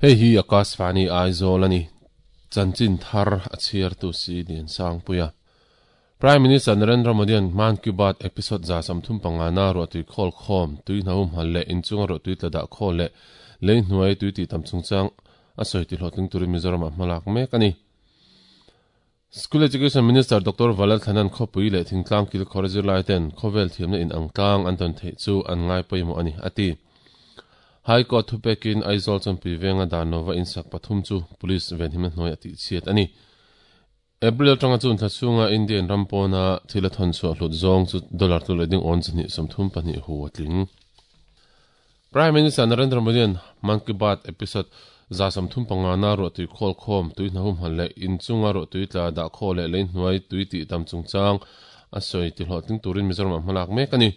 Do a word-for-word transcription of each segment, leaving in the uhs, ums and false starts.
Hei hi Akashvani Aizawl ani. Chanchin thar a chhiar tu si Lian Sangpuia. Prime Minister Narendra Modi an Mann Ki Baat episode za sawmthum panga na ruahtui khawl khawm tui hnahum hal leh inchunga ruahtui tla dah khawl leh lei hnuai tui tih tam chungchang a sawi ti hlawhtling turin Mizoram ah hmalak mek a ni. School Education Minister Doctor Valal Thanan khawpui leh thingtlang kil khawr zirlai ten khawvel thiamna in ang tlang an tawn theih chu an ngai pawimawh a ni, a ti. High Court thupekin Aizawl chawnpui venga dan lova insak pathum chu Police venhimna hnuai a tihchhiat a ni. April atanga chun thla chhunga Indian ram pawna thil a thawn chhuah hlut zawng chu dollar tlu leh ding awn chahnih sawmthum pahnih hu a tling. Prime Minister Narendra Modi an Mann Ki Baat episode za sawmthum panga na ruahtui khawl khawm, tui hnahum hal leh inchunga ruahtui tla dah khaw leh lei hnuai tui tih tam chungchang a sawi ti hlawhtling turin Mizoram ah hmalak mek a ni.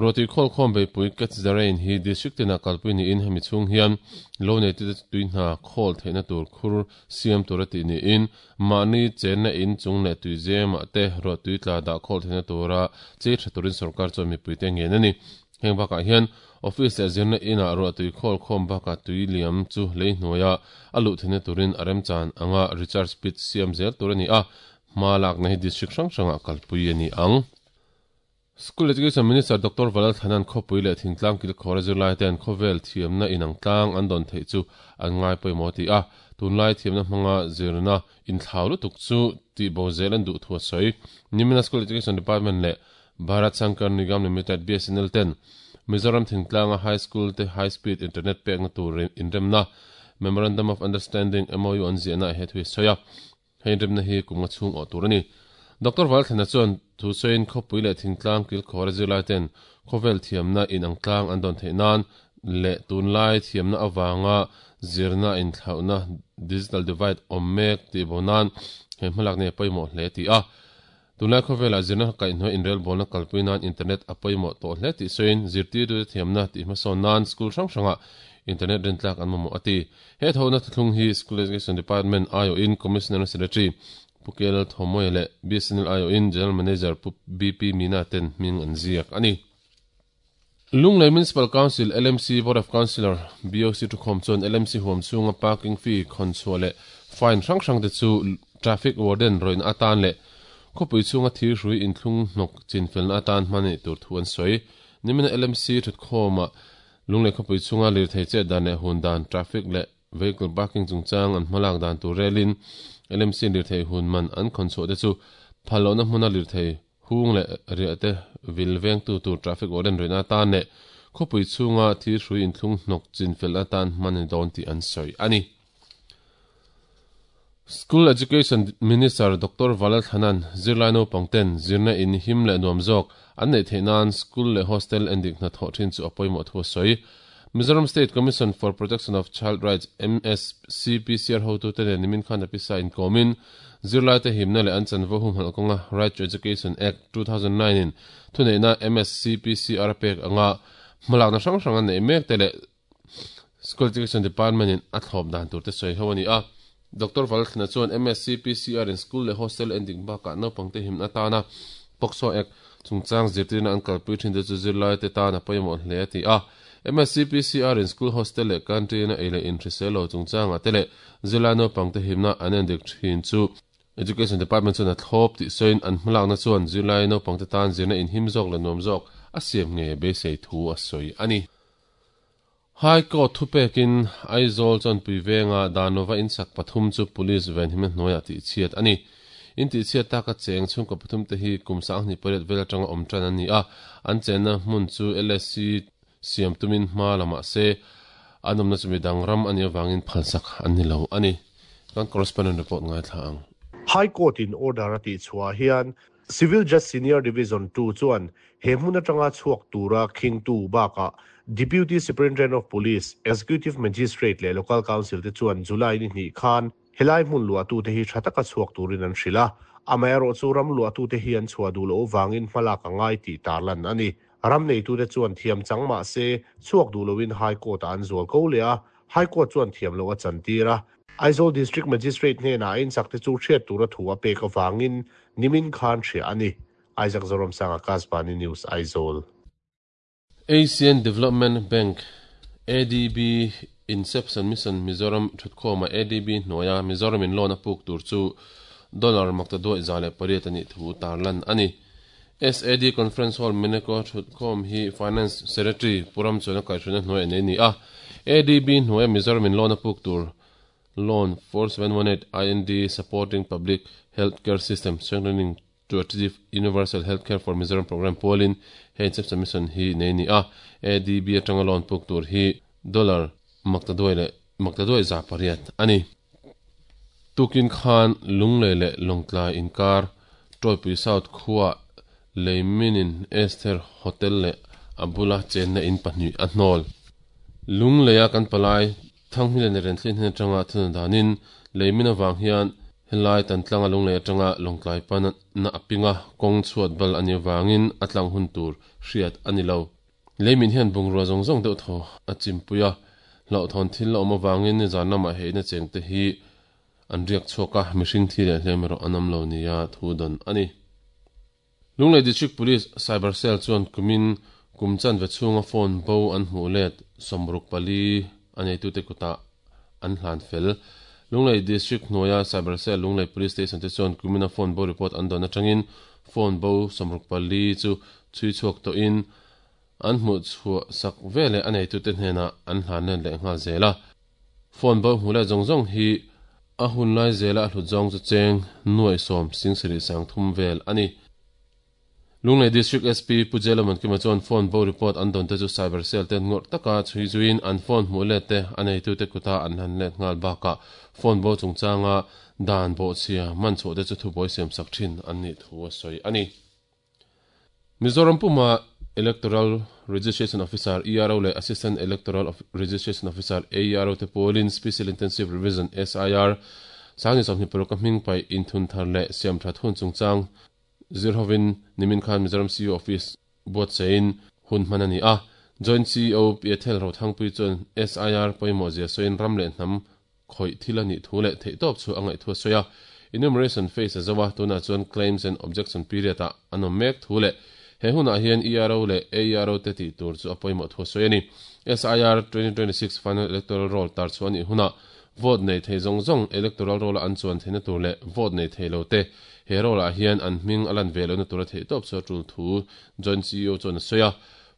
Ruahtui khawl khawm beipui Catch the Rain hi district tinah kalpui niin hemi chhung hian lo neitute tui hna khawl theihna tur khur siam tur a tih niin mahni chenna in chung leh tui zemah te ruahtui tla dah khawl theihna tura chei tha turin sorkar chuan mipuite ngen a ni. Heng bakah hian office leh zirna inah ruahtui khawl khawm bakah tui liam chu lei hnuaia a luh theihna turin a remchan anga recharge pit siam zel tur a ni a, hma lakna hi district hrang hrangah kalpui a ni ang. School Education Minister Doctor Valal Thanan khawpui leh thingtlang kil khawra zirlai ten khawvel thiamna inang tlang an dawn theih chu an ngai pawimawh ti a, tunlai thiamna hmanga zirna inthlau lutuk chu tihbo zel an duh thu a sawi. Nimina School Education Department leh Bharat Sankar Nigam Limited, B S N L, ten Mizoram thingtlanga High School te High Speed Internet pekna tur inremna Memorandum of Understanding, M O U, an ziahna he thu hi a sawi a, hei inremna hi kum nga chhung awh tur a ni. Doctor Valthlana chuan thu sawiin khawpui leh thingtlang kilkhawra zirlai ten khawvel thiamna inang tlang an dawn theih nan leh tunlai thiamna avanga zirna inthlauhna digital divide awm mek tih bo nan he hmalak nei a pawimawh hle ti a. Tunlai khawvelah zirna kaihhnuai inrelbawlna kalpui nan internet a pawimawh tawh hle tih sawiin zirtirtute thiamna tih hmasawn nan school hrang hrangah internet rintlak an mamawh a ti. He thawhna thuthlung hi School Education Department aiawhin Commissioner Secretary Pu K L Thomoia leh B S N L aiawhin General Manager Pu B P Meena ten hming an ziak a ni. Lunglei Municipal Council, L M C, Board of Councillor, B O C thukhawm chuan L M C huam chhunga parking fee khawn chhuah leh fine hrang hrang te chu traffic warden rawihna atan leh khawpui chhunga thir hrui inthlung hnawk chinfelna atan hman a nih tur thu an sawi. Nimina L M C thutkhawmah Lunglei khawpui chhunga lirthei chet dan leh hun dan, traffic leh vehicle parking chungchang an hmalak dan tur relin L M C lirthei hun man an khawn chhuah te chu phal lohna hmuna lirthei hung leh riah te vil vengtu tur traffic warden rawihna atan leh khawpui chhunga thir hrui inthlung hnawk chinfel atan hman a ni dawn tih an sawi a ni. School Education Minister Doctor Valal Thanan zirlai naupang ten zirna in him leh nuam zawk an neih theih nan school leh hostel endik hna thawh thin chu a pawimawh thu a sawi. Mizoram State Commission for Protection of Child Rights, M S C P C R hotu te nen nimin khan a pisa inkawmin zirlai te himna leh an chanvo humhalh kawnga Right to Education Act two thousand nine in thuneihna M S C P C R a pek anga hmalakna hrang hrang an neih mek te leh School Education Department in a thlawp dan tur te sawi ho a ni a. Doctor Valthlana chuan M S C P C R in school leh hostel endik bakah naupang te himna atana POCSO Act chungchang zirtirna an kalpui thin te chu zirlai te tan a pawimawh hle a ti a. M S C P C R in school hostel leh canteen a ei leh inhrisel lo chungchangah te leh zirlai naupang te himna an endik thin chu Education Department chuan a thlawp tih sawiin an hmalakna chuan zirlai naupang te tan zirna inhim zawk leh nuam zawk a siam nge beisei thu a sawi a ni. High Court thupekin Aizawl chawnpui venga Danova insak pathum chu police venhimna hnuaiah tihchhiat a ni. In tihchhiat taka cheng chhungkaw pathum te hi kum sanghnih pariat vel atanga awm tan an ni a, an chenna hmun chu L S C siam tumin hma lamah se an awmna chu midang ram a nih avangin phalsak an ni lo a ni. Kan correspondent report ngaithla ang. High Court in order a tihchhuah hian Civil Judge Senior Division two chuan he hmun atanga chhuak tura khingtu bakah Deputy Superintendent of Police, Executive Magistrate leh Local Council te chuan July ni hnih khan helai hmun luahtu te hi tha taka chhuak turin an hrilh a, amaherawh chu ram luahtu te hi an chhuah duh loh vangin hmalak a ngai tih tarlan a ni. Ram neitu te chuan thiam chang mah se chhuak duh loin High Court ah an zual ko leh a, High Court chuan thiam loh a chantir a. Aizawl District Magistrate hnenah a insak te chu hriat tura thu a pek avangin nimin khan hria a ni. Isaac Zoramsanga Kasbani News, Aizawl. Asian Development Bank, A D B Inception Mission Mizoram thutkhawma A D B hnuaia Mizoram in loan a puk tur chu dollar makta duai za leh pariat ani thu tarlan ani. S A D Conference Hall Meneko thutkhawm hi Finance Secretary Puram chuan a kaihhruaina hnuai nei ni a. A D B hnuaia Mizoram in loan a puk tur Loan four seven one eight I N D Supporting Public Healthcare System Strengthening to Achieve Universal Healthcare for Mizoram Program Polin he Inception Mission hi nei ni a. A D B atanga loan puk tur hi dollar makta duai leh makta duai za pariat ani. Tukin khan lunglei leh lawngtlai inkar Troipui South khuwa leiminin Esther Hotel leh abula chenna in pahnih a hnawl. Lungleia kan palai thanghmilen ren thlin hin atanga thuna danin leimin awang hian helai tan tlanga lunglei atanga lawngtlai pan na apinga kawng chhuat bal ani awangin a tlang hun tur hriat ani lo. Leimin hian bungrua zawng zawng deuh thaw a chimpuia hlauh thawn thil la awm awangin ni zan lamah heina cheng te hi an riak chhuaka mihring thi leh hlem erawh an awm lo nia thu dawn ani. Lunglei District Police Cyber Cell chuan kumin kumchan ve chhunga phone bo an hmuh let sawmruk pali a neitute kuta an hlan fel. Lunglei District hnuaia Cyber Cell Lunglei Police Station te chuan kumina phone bo report an dawn atangin phone bo sawmruk pali chu chui chhuak tawhin an hmuh chhuah sak vele a neitute hnenah an hlan let leh nghal zela. Phone bo hmuh leh zawng zawng hi a hun lai zela a hlut zawng chu cheng nuai sawm singsarih sang thum vel ani. Lunglei District S P Pujelaman kima chuan phone bo report an dawn te chu Cyber Cell ten ngawrh taka chhui zuin an phone hmuh let te a neitute kuta an hlan let nghal bakah phone bo chungchanga dan bo chhia man chhuah te chu thubuai siam sak thin an nih thu a sawi ani. Mizoram Puma Electoral Registration Officer E R O leh Assistant Electoral Registration Officer A E R O te pawlin Special Intensive Revision S I R sangni sawmhnih paruk a hming pai inthun thar leh siam that hun chungchang zirhovin nimin khan Mizoram C E O Office buat sein hun hman ani a. Joint C E O Piathel Rothangpui chuan S I R pawimawh zia sawiin ram leh hnam khawih thil ani thu leh theih tawp chu a ngaih thu a sawi a. Enumeration phase a zawa tunah chuan claims and objection period ah an awm mek thu leh he hunah hian E R O leh A E R O te tih tur chu a pawimawh thu a sawi ani. S I R twenty twenty-six Final Electoral Roll tar chu ani hunah vote nei thei zawng zawng electoral roll an chuan theihna tur leh vote nei thei lo te he roll ah hian an hming a lan ve lohna tur a theih tawp chu a tul thu Joint C E O chuan a sawi a.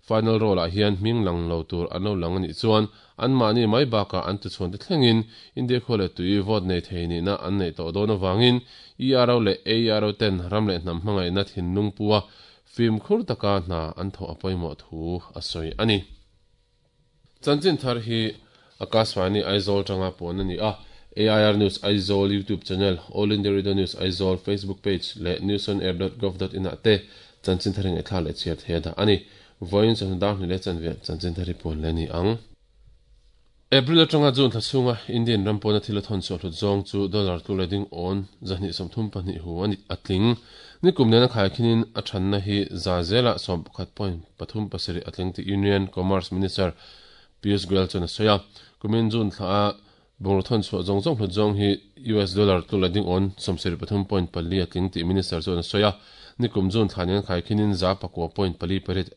Final roll ah hian hming lang lo tur an lo lang ani chuan an mahni mai bakah an tuchhuan te thlengin India khaw leh tui vote nei thei nihna an nei tawh dawn awangin E R O leh A E R O ten ram leh hnam hmangaihna thinlung pua fim khur taka hna an thawh a pawimawh thu a sawi ani. Chanchin thar hi Akashvani Aizawl tanga pawn ani a. A I R News Aizawl YouTube channel, All India Radio News Aizawl Facebook page leh news on air dot gov dot in ah te chanchin thar ngai thla leh chhiar thei da ani. Voin chan dar ni le chanve chanchin thar hi pawn le ni ang. April atanga June thla chhunga Indian ram pawna thil a thawn chhuah hlut zawng chu dollar tu leding on zahnih sawmthum pahnih hu ani atling. Ni kum nena khai khinin a thanna hi za zela sawm pakhat point pathum pasarih atling ti Union Commerce Minister Piyush Goyal chuan a sawi a. Kumin June thla bungraw thawn chhuah zawng zawng hlut zawng hi U S dollar tu leding on sawmsarih pathum point pali atling ti minister chuan a sawi a. Ni kum June thla nen khai khinin za pakua point pali pariat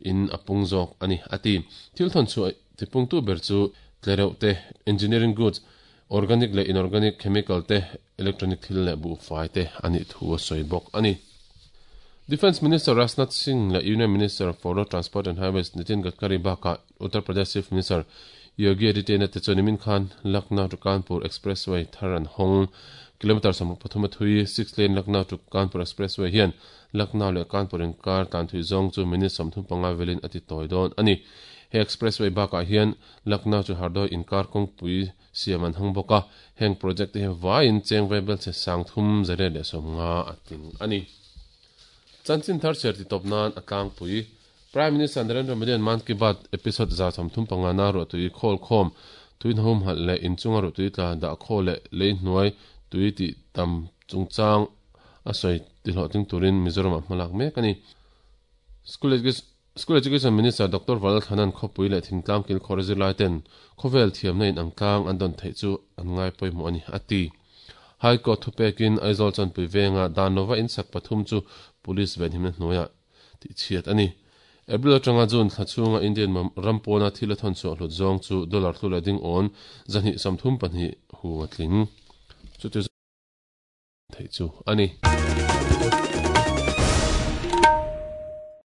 in a pung zawk ani ati. Thil thawn chhuah tipung tu ber chu tlereuh te engineering goods organic leh inorganic chemical te electronic thil leh bu fai te ani thu a sawi bawk ani. Defence Minister Rajnath Singh leh Union Minister for Road Transport and Highways Nitin Gadkari bakah Uttar Pradesh Chief Minister Yogi Adityanath te chuan nimin khan Lucknow to Kanpur Expressway thar an hawng kilometer sawmruk pathum a thui six lane Lucknow to Kanpur Expressway hian Lucknow leh Kanpur inkar tan thui zawng chu minute sawmthum panga velin a ti tawi dawn ani. He expressway bakah hian Lucknow chu Hardoi inkar kawngpui siam an hang bawk a. Heng project te hi vaiin cheng vebel che sang thum zare leh sawmnga a ting ani. Chanchin thar cher ti tawp nan a tlangpui Prime Minister Narendra Modi an Man Ki Baat episode za sawmthum panga na ruah tui khawl khawm tuin hum halh leh inchunga ruah tui tla dah khaw leh lei hnuai tui tih tam chungchang a sawi ti hlawhtling turin Mizoram ah hmalak mek ani. School School Education Minister Doctor Val Thanan khawpui leh thingtlang kil khawr zirlai ten khawvel thiamna in ang tlang an dawn theih chu an ngai pawimawh ani ati. High Court thupekin Aizawl chanpui venga dan lova insak pathum chu police venhimna hnuaiah tih chhiat ani. April atanga June thla chhunga Indian ram pawna thil a thawn chhuah hlut zawng chu dollar hlu leh ding awn zahnih sawmthum pahnih hu a tling. Chuti theih chu a ni.